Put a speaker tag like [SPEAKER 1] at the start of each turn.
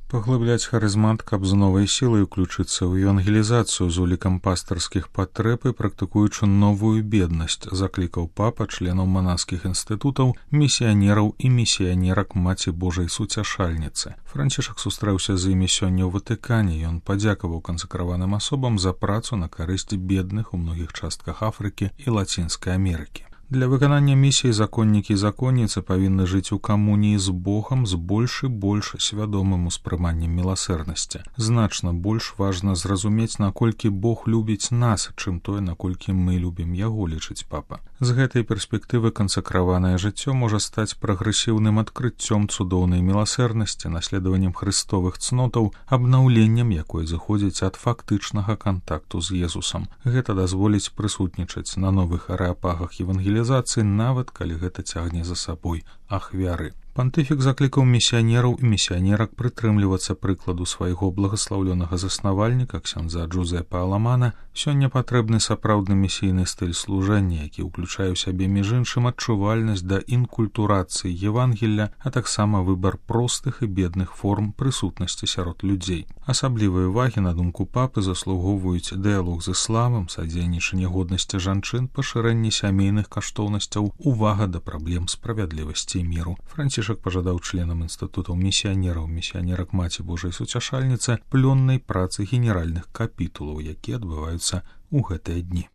[SPEAKER 1] Паглыбляць харызмат, каб з новай сілай уключыцца ў евангелізацыю з улікам пастырскіх патрэб і практыкуючы новую беднасць, заклікаў папа членаў манаскіх інстытутаў, місіянераў і місіянерак Маці Божай Суцяшальніцы. Францішак сустрэўся з імі сёння ў Ватыкане, ён падзякаваў кансакраваным асобам за працу на карысць бедных у многіх частках Афрыкі і Лацінскай Амерыкі. Для выканання місіі законнікі і законніцы павінны жыць у камуніі з Богам з больш і больш свядомым успрыманнем міласэрнасці. Значна больш важна зразумець, наколькі Бог любіць нас, чым тое, наколькі мы любім яго, лічыць папа. З гэтай перспектывы кансакраванае жыццё можа стаць прагрэсіўным адкрыццём цудоўнай міласэрнасці, наследаваннем хрыстовых цнотаў, абнаўленнем якой зыходзіць ад фактычнага кантакту з Езусам. Гэта дазволіць прысутнічаць на новых арэапагах евангелізацыі, нават калі гэта цягне за сабой ахвяры. Пантыфік заклікаў місіянераў і місіянерак прытрымлівацца прыкладу свайго благаслаўлёнага заснавальніка ксяндза Джузепа Аламана. Сёння патрэбны сапраўдны місійны стыль служэння, які ўключае ў сябе між іншым адчувальнасць да інкультурацыі Евангелля, а таксама выбар простых і бедных форм прысутнасці сярод людзей. Асаблівай увагі, на думку папы, заслугоўваюць дыялог з ісламам, садзейнічанне годнасці жанчын, пашырэнне сямейных каштоўнасцяў, увага да праблем справядлівасці і міру. Францішак пажадаў членам інстытутаў місіянераў, місіянерак Маці Божай Суцяшальніцы плённай працы генеральных капітулаў, якія адбываюцца ў гэтыя дні.